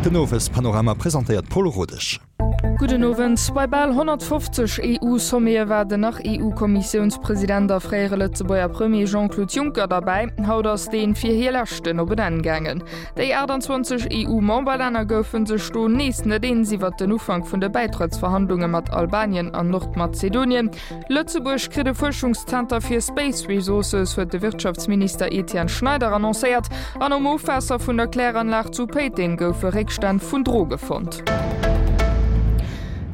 Den Owespanorama presentéiert d'Paule Rodesch. Gudden Owend. Bei bal 150 EU-Sommete war den Nach-EU-Kommissiounspresident a fréiere Lëtzebuerger Premier Jean-Claude Juncker derbäi. Haut ass deen fir hie leschten op en Enn gaangen. Déi 28 EU-Memberlänner goufe sech do nees net eens iwwert den Ufank vun de Bäitrëttsverhandlunge mat Albanien an Nordmazedonien. Lëtzebuerg kritt e Fuerschungszenter fir Space Resources, huet de Wirtschaftsminister Etienne Schneider annoncéiert. An um Ofwaasser vun der Kläranlag zu Péiteng goufe Réckstänn vun Droge fonnt.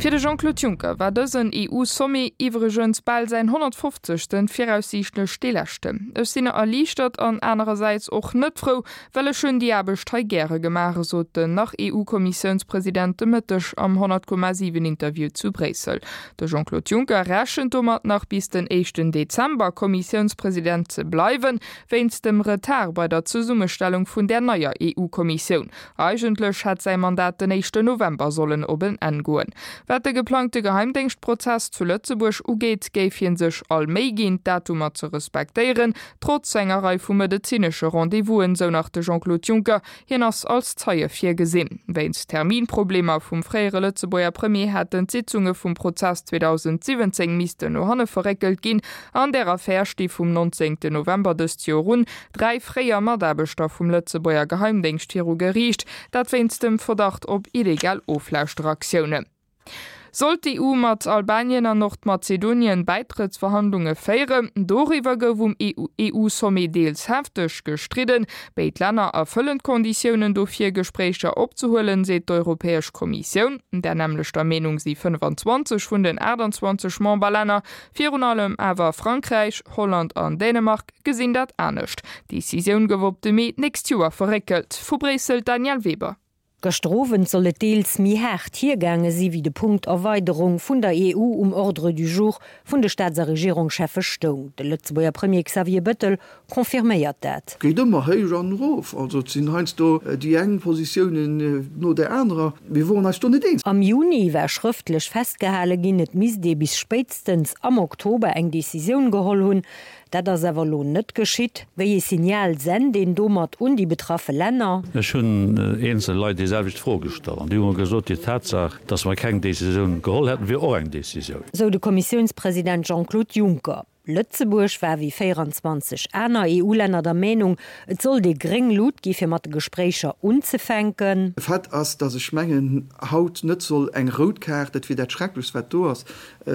Fir de Jean-Claude Juncker war dësen EU-Sommet, iwwregens bal säin 150. Viraussiichtlech dee leschten. Ech sinn erliichtert an anerersäits och net frou, Well ech hunn déi Aarbecht hei gäre gemaach, sot den Nach-EU-Kommissiounspresident de Mëtteg am 100,7 Interview zu Bréissel. De Jean-Claude Juncker rechent domat, nach bis den éischten Dezember Kommissiounspresident ze bleiwen, wéinst dem Retard bei der Zesummestellung vun där neier EU-Kommissioun. Eigentlech hätt säi Mandat den éischten November sollen op en Enn goen. Wat de geplangte Geheimdéngschtprozess zu Lëtzebuerg ugeet, géif hie sech all Méi ginn, d'Datumer ze respektéieren, Trotz enger Rei vu medezinesche Rendez-vousen, sou nach de Jean-Claude Juncker, hien ass als Zeie virgesinn. Wéinst Terminproblemer vum fréiere Lëtzebuerger Premier hätten d'Sitzunge vum Prozess 2017 missten no hanne verréckelt ginn. An där Affär sti vum 19 November dëst Joer un 3 fréier Mataarbechter vum Lëtzebuerger Geheimdéngscht viru Geriicht, dat wéinst dem Verdacht op illegal Oflauschteraktiounen. Sollt d'EU mat Albanien an Nordmazedonien Bäitrëttsverhandlunge féieren? Doriwwer gouf um EU-Sommet deels hefteg gestridden. Béid Länner erfëllen d'Konditiounen dofir, Gespréicher opzehuelen, seet d'Europäesch Kommissioun. Där nämmlechter Meenung si 25 vun den 28 Memberlänner. Virun allem awer Frankräich, Holland an Dänemark gesinn dat anescht. D'Decisioun gouf op de Mee d'nächst Joer verréckelt. Vu Bréissel d'Danièle Weber. Gëschter Owend soll et deels méi haart hiergaange si wéi de Punkt Erweiderung vun der EU um Ordre du jour vun de Staats a Regierungscheffe stoung. De Lëtzebuerger Premier Xavier Bëttel confirméiert dat. Geet ëmmer héich an erof, also et sinn heiansdo déi eng Positiounen no där anerer. Mir woren eis do net eens. Am Juni war schrëftlech festgehale ginn, et misst ee bis spéitstens am Oktober eng Decisioun geholl hunn. Dat ass awer elo net geschitt. Wéi ee Signal sent een domat un déi betraffe Länner? Ech hunn eenzel Leit déi selwecht Fro gestallt an déi hu mer gesot, déi Tatsaach, datt mer keng Décisioun geholl hätten, wier och eng Décisioun. Sou de Kommissiounspresident Jean-Claude Juncker. Lëtzebuerg war wéi 24 aner EU-Länner der Meenung, et sollt ee gréng Lut gi fir mat de Gespréicher unzefänken. Fait ass, datt ech mengen, haut net soll eng rout Kaart, dat wier dat Schrecklechst wat do ass,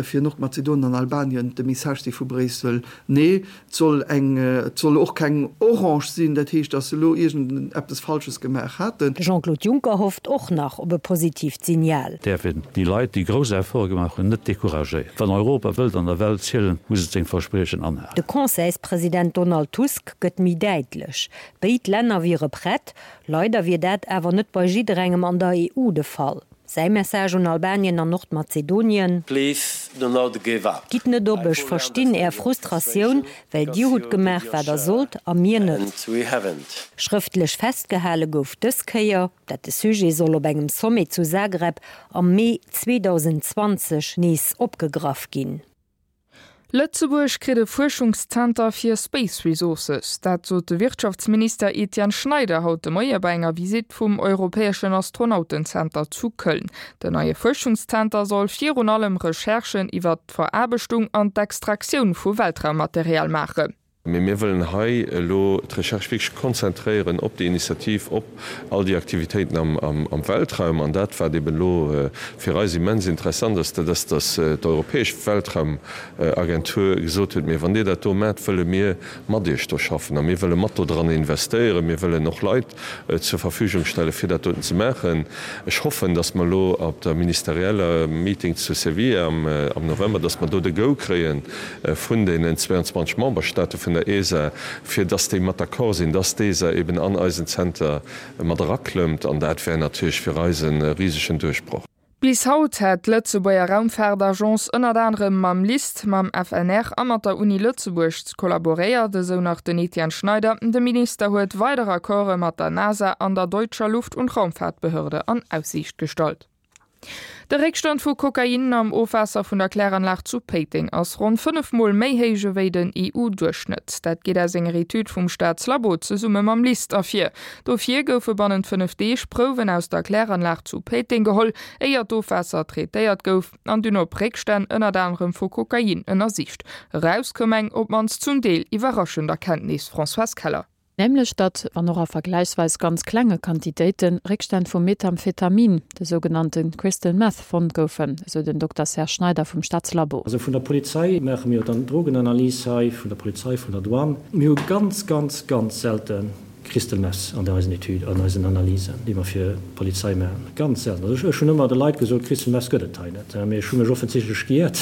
fir Nordmazedonien an Albanien de Message si vu Bréissel, Nee, et soll eng, et soll och keng orange sinn, dat heescht, datt se elo iergend eppes Falsches gemaach haten. De Jean-Claude Juncker hofft och nach op e positiivt Signal. Däerf een déi Leit, déi grouss Efforte gemaach hunn, net decouragéieren. Wann Europa wëllt an der Welt zielen, muss et seng Verspriechen anhalen. De Conseilspresident Donald Tusk gëtt méi däitlech, Béid Länner wiere prett, leider wier dat awer net bei jidderengem an der EU de Fall. Säi Message un Albanien an Nordmazedonien, Gitt net op, ech verstinn Är Frustratioun, well Dir hutt gemaach wat Der sollt a mir net. Schrëftlech festgehale gouf dës Kéier, dat de Sujet soll op engem Sommet zu Zagreb am Mee 2020 nees opgegraff ginn. Lëtzebuerg kritt e Fuerschungszenter fir Space Resources. Dat sot de Wirtschaftsminister Etienne Schneider haut de Moie bei enger Visitt vum europäeschen Astronautenzenter zu Köln. Den neie Fuerschungszenter soll virun allem Recherchen iwwert d'Veraarbechtung an d'Extraktioun vu Weltraummaterial maachen. Mee mir wëllen hei elo d'Recherche wierklech konzentréieren op déi Initiativ, op all déi Aktivitéiten am Weltraum. An dat, wat eben elo fir eis immens interessant ass, dat ass, dass d'Europäesch Weltraumagentur gesot huet, Mee wann Dir dat do maacht, wëlle mir mat Iech do schaffen a mir wëlle mat dodran investéieren, mir wëllen och Leit zur Verfügung stellen, fir dat doten ze maachen. Ech hoffen, dass mer elo op der ministerieller Meeting zu Sevilla am November, dass mer do de Go kréie vun deenen 22 Memberstate vun der ESA, fir dass déi mat d'accord sinn, dass d'ESA eben an eisen Zenter mat eraklëmmt. An dat wär natierlech fir eis e risegen Duerchbroch. Bis haut hätt d'Lëtzebuerger Raumfaartagence ënnert anerem mam LIST, mam FNR a mat der Uni Lëtzebuerg kollaboréiert, esou nach den Etienne Schneider. De Minister huet weider Accorde mat der NASA an der Deutscher Luft und Raumfahrtbehörde an Aussiicht gestallt. De Réckstand vu Kokain am Ofwaasser vun der Kläranlag zu Péiteng ass ronn 5 Mol méi héich ewéi den EU-Duerchschnëtt. Dat geet aus enger Etüd vum Staatslabo zesumme mam LIST ervir. Dofir goufe bannent 5 Deeg Prouwen aus der Kläranlag zu Péiteng geholl, éier d'Ofwaasser traitéiert gouf an dunn op Réckstänn ënnert anerem vu Kokain ënnersicht. Eraus koum eng, op d'mannst zum Deel, iwwerraschend Erkenntnis. Françoise Keller. Nämlech datt, wann och a vergläichsweis ganz klenge Quantitéiten, Réckstänn vu Methamphetamin, de sougenannte Crystal Meth, fonnt goufen, esou den Dokter Serge Schneider vum Staatslabo. Also vun der Polizei maache mir jo dann d'Drogenanalys hei, vun der Polizei, vun der Douane. Mir hu ganz, ganz, ganz selte Crystal Meth an eisen Etüden, an eisen Analysen, déi mer fir d'Polizei maachen. Ganz selten. Also ech hunn ëmmer de Leit gesot, Crystal Meth gëtt et hei net. Mee ech hu mech offensichtlech giert.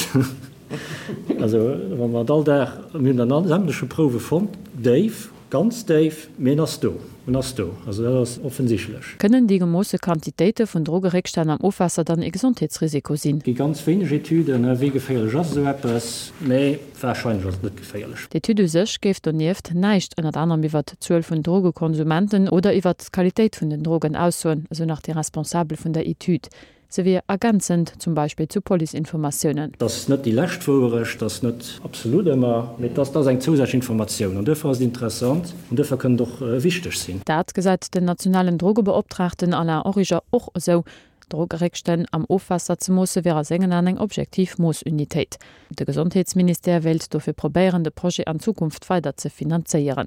Also wa mer et all Dag, mir hunn dann sämtleche Prouwe fonnt, déif, Ganz déif, mee en ass do, en ass do, also dat ass offensichtlech. Kënnen déi gemoosse Quantitéite vun Drogeréckstänn am Ofwaasser dann ee Gesondheetsrisiko sinn? Gi ganz wéineg Etüden, wéi geféierlech ass esou eppes, mee warscheinlech ass et net geféierlech. D'Etüd u sech géif donieft näischt ënnert anerem iwwert d'Zuel vun Drogekonsumenten oder iwwert d'Qualitéit vun den Drogen aussoen, esou nach déi Responsabel vun der Etüd. Se wier ergänzend, zum Beispill zu Policeinformatiounen. Et ass net déi lescht Wouerecht, et ass net absolut ëmmer, mee et ass eng zousätzlech Informatioun an duerfir ass et interessant an duerfir kënnt et och wichteg sinn. Dat gesäit den nationalen Drogebeoptraagten Alain Origer och esou. Drogeréckstänn am Ofwaasser ze moosse wier a sengen Aen eng objektiv Moossunitéit. De Gesondheetsministère wéilt dofir probéieren, de Projet an Zukunft weider ze finanzéieren.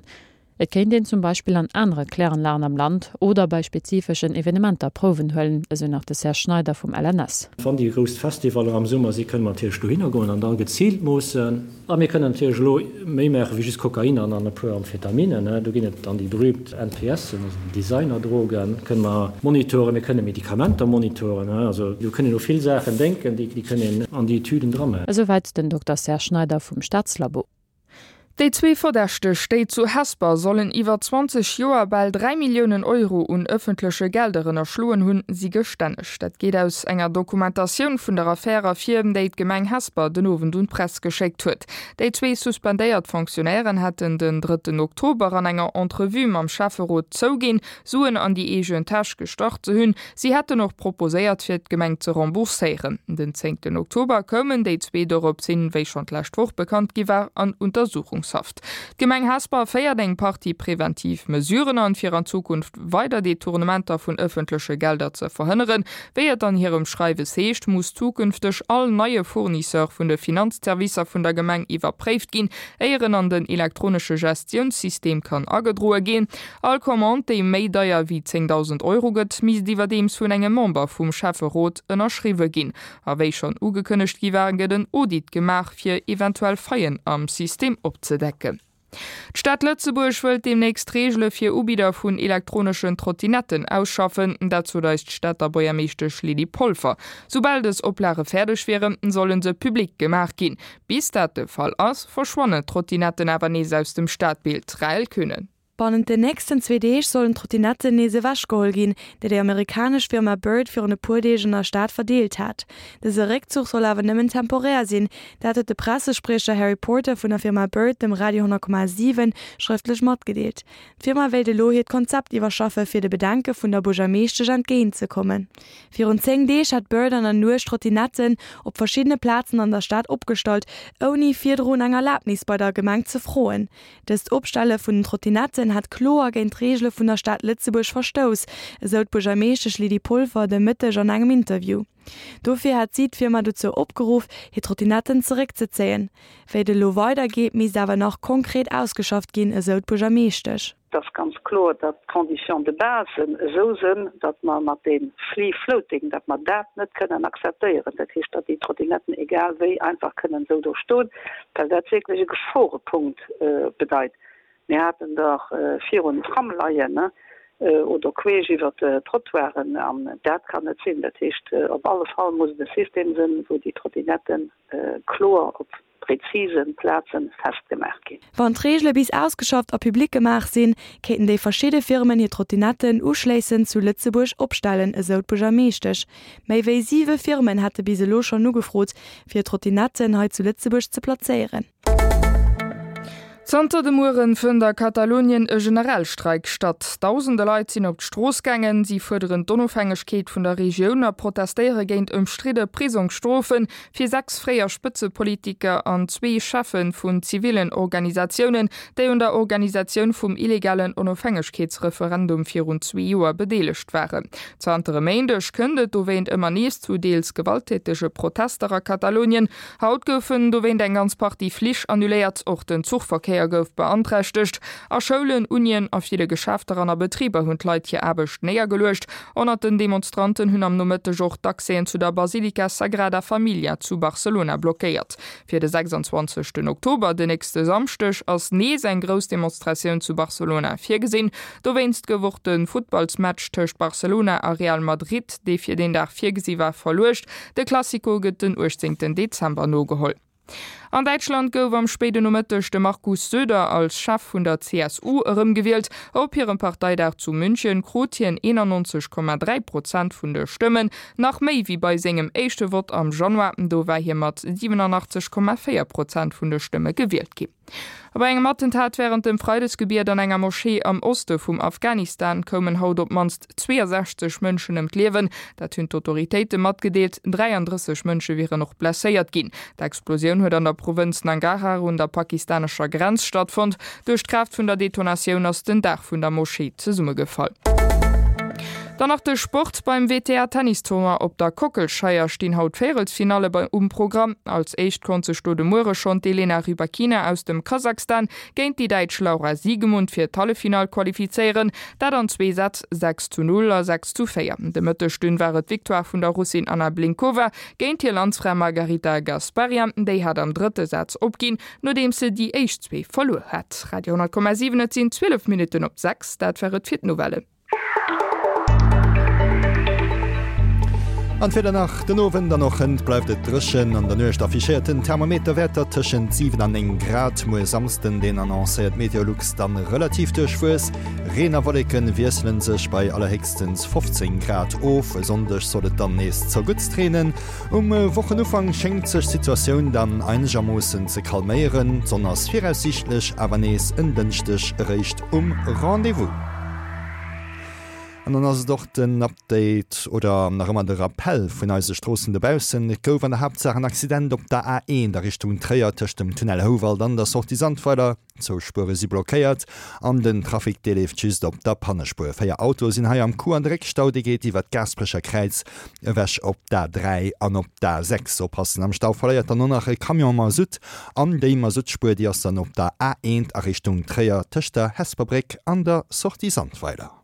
Et kéint een zum Beispill an anere Kläranlagen am Land oder bei spezifeschen Evenementer Prouwen huelen, esou nach de Serge Schneider vum LNS. Wann déi grouss Festivaller am Summer si kënne mer natierlech dohinner goen an da geziilt moossen. A mir kënnen natierlech elo méi maache wéi just Kokain an an e puer Amphetaminen. Do ginn et dann déi berühmt NPSen, also déi Designerdrogen, kënne mer monitoren. Mir kënne Medikamenter monitoren. Also do kënn een u vill Saachen denken, déi kënn een an déi Etüden dramaachen. Esouwäit den Dokter Serge Schneider vum Staatslabo. Déi zwee Verdächteg, déi zu Hesper sollen iwwer 20 Joer bal 3 Milliounen Euro un ëffentleche Gelder ënnerschloen hunn, si gestänneg. Dat geet aus enger Dokumentatioun vun der Affär ervir, déi d'Gemeng Hesper den Owend un d'Press geschéckt huet. Déi zwee suspendéiert Fonctionnairen hätten den drëtten Oktober an enger Entrevue mam Schäfferot zouginn, Suen an déi eegen Täsch gestach ze hunn. Si hätten och proposéiert, fir d'Gemeng ze rembourséieren. Den zéngten Oktober koumen déi zwee dorops hin, wéi schonn d'lescht Woch bekannt gi war, an Untersuchungshaft. D'Gemeng Hesper féiert eng Partie preventiv Mesuren an, fir an Zukunft weider Detournementer vun ëffentleche Gelder ze verhënneren. Wéi et an hirem Schreiwes heescht, muss zukünfteg all neie Fournisseur vun de Finanzservicer vun der Gemeng iwwerpréift ginn, éier en an den elektronesche Gestiounssystem kann agedroe ginn. All Commande, déi méi deier wéi 10.000 Euro gëtt, misst iwwerdeems vun engem Member vum Schäfferot ënnerschriwwe ginn. A wéi schonn ugekënnegt gi war, gëtt en Audit gemaach, fir eventuell Faillen am System opzedecken. D'Stad Lëtzebuerg wëllt deemnächst Reegele fir Ubidder vun elektroneschen Trottinetten ausschaffen. Dat sot eis d'Stater Buergermeeschtesch Lydie Polfer. Soubal dës Oplage fäerdeg wieren, solle se public gemaach ginn. Bis dat de Fall ass, verschwannen d'Trottinetten awer nees aus dem Stadbild. Rahel Könen. Bannent den nächsten zwee Deeg sollen d'Trottinetten nees ewechgeholl ginn, déi déi amerikanesch Firma Bird virun e puer Deeg an der Stad verdeelt hat. Dëse Réckzuch soll awer nëmmen temporär sinn, dat huet de Pressespriecher Harry Porter vun der Firma Bird dem Radio 10,7 schrëftlech matgedeelt. D'Firma wéilt elo hiert Konzept iwwerschaffe fir de Bedenke vun der Buergermeeschtesch entgéint ze kommen. Virun 10 Deeg hat Bird an der Nuecht Trottinetten op verschiddene Plazen an der Stad opgestallt, ouni virdrun eng Erlabnis bei der Gemeng ze froen. Dëst Opstelle vun den Trottinetten hätt kloer géint d'Reegele vun der Stad Lëtzebuerg verstouss, esou d'Buergermeeschtesch Lydie Polfer de Mëtteg an engem Interview. Dofir hätt si d'Firma dozou opgeruff, hir Trottinetten zeréckzezéien. Wéi et elo weidergeet, misst awer nach konkret ausgeschafft ginn, esou d'Buergermeeschtesch. Et ass ganz kloer, datt d'Conditions de base esou sënn, datt mer mat deem Free Floating, datt mer dat net kënnen akzeptéieren. Dat heescht, datt déi Trottinetten egal wéi einfach kënnen esou do stoen, well dat wierklech e Geforepunkt bedeit. Mir haten der virun Tram leien oder queesch iwwert d'Trottoiren an dat kann net sinn. Dat heescht, op alle Fall muss et e System sënn, wou déi Trottinetten kloer op prezise Plazen festgemaach ginn. Wann d'Reegele bis ausgeschafft a public gemaach sinn, kéinten déi verschidde Firmen hir Trottinetten uschléissend zu Lëtzebuerg opstellen, esou d'Buergermeeschtesch. Méi wéi siwe Firmen hätte bis elo schonn ugefrot, fir hir Trottinetten hei zu Lëtzebuerg ze plazéieren. Zanter de Mueren fënnt a Katalonien e Generalstreik statt. Dausende Leit sinn op d'Strooss gaangen. Si fuerderen d'Onofhängegkeet vun der Regioun a protestéiere géint ëmstridde Prisongsstrofe fir 6 fréier Spëtzepolitiker an zwee Cheffe vun zivillen Organisatiounen, déi un der Organisatioun vum illegalen Onofhängegkeetsreferendum virun zwee Joer bedeelegt waren. Zanter e Méindeg kënnt et dowéint ëmmer nees zu deels gewalttätege Protester a Katalonien. Haut goufen dowéint eng ganz Partie Flich annuléiert, och den Zuchverkéier gouf beanträchtegt. A Schoulen, Unien, a ville Geschäfter an a Betriber hunn d'Leit hir Aarbecht néiergeluecht. Ënnert den Demonstranten hunn am Nomëtteg och d'Accèsen zu der Basilika Sagrada Familia zu Barcelona blockéiert. Fir de 26 Oktober, den nächste Samschdeg, ass nees eng grouss Demonstratioun zu Barcelona virgesinn. Dowéinst gouf och de Futtballsmatch tëscht Barcelona a Real Madrid, dee fir deen Dag virgesi war, verluecht. De Clasico gëtt den 18 Dezember nogeholl. An Däitschland gouf am spéiden Nomëtteg de Markus Söder als Chef vun der CSU erëmgewielt. Op hirem Parteidag zu München krut hien 91,3 Prozent vun de Stëmmen, nach méi wéi bei sengem éischte Vott am Januar, do war hie mat 87,4 Prozent vun de Stëmme gewielt ginn. A bei engem Attentat wärend dem Freidesgebiet an enger Moschee am Oste vum Afghanistan koumen haut op d'mannst 62 Mënschen ëm d'Liewen. Dat hunn d'Autoritéite matgedeelt. 33 Mënsche wieren och blesséiert ginn. D'Explosioun huet an der Provënz Nangarhar un der pakistanescher Grenz stattfonnt. Duerch d'Kraaft vun der Detonatioun ass den Daach vun der Moschee zesummegefall. Dann nach de Sport, Beim WTA-Tennistournoi op der Kockelscheier stinn haut d'Véierelsfinalle um Programm. Als éischt konnt sech do de Muere schonn d'Elena Rybakina aus dem Kasachstan géint déi Däitsch Laura Siegemund fir d'Halleffinall qualifizéieren. Dat an zwee Sätz, 6 zu 0 a 6 zu 4. De Mëtteg dunn war et d'Victoire vun der Russin Anna Blinkova géint hir Landsfra Margarita Gasparyan. Déi hat am drëtte Saz opginn, nodeems se déi éischt zwee verluer hat. Radio 10,7 Et sinn 12 Minutten op 6. Dat war et fir d'Nouvellen. An d'Wieder nach, Den Owend an och hënt bleift et dréchen. An der Nuecht affichéiert den Thermometer Wäerter tëschent 7 an 9 Grad. Muer Samsden den annoncéiert Meteolux dann relativ duerchwuess. Reen a Wolleke wiessele sech bei allerhéchstens 15 Grad of. E Sonndeg soll et dann nees zerguttst reenen. Um Wochenufank schéngt sech d'Situatioun dann einegermoossen ze calméieren. D'Sonn ass viraussiichtlech awer nees en Dënschdeg eréischt um Rendez-vous. An dann ass et och den Update oder nach ëmmer de Rappell vun eise Stroossen dobaussen. Et gouf an der Haaptsaach en Accident op der A1 a Richtung Tréier tëscht dem Tunnel Houwald an der Sortie Sandweiler. Zwou Spuere si blockéiert an den Trafic dee leeft just op der Pannespuer. 4 Autoe sinn hei am Coup an de Réckstau dee geet iwwer d'Gaasperecher Kräiz ewech op d'A3 an op d'A6. Oppassen, am Stau verléiert dann och nach e Camion Masutt an déi Masuttspuer déi ass dann op der A1 a Richtung Tréier tëscht der Hesper Bréck an der Sortie Sandweiler.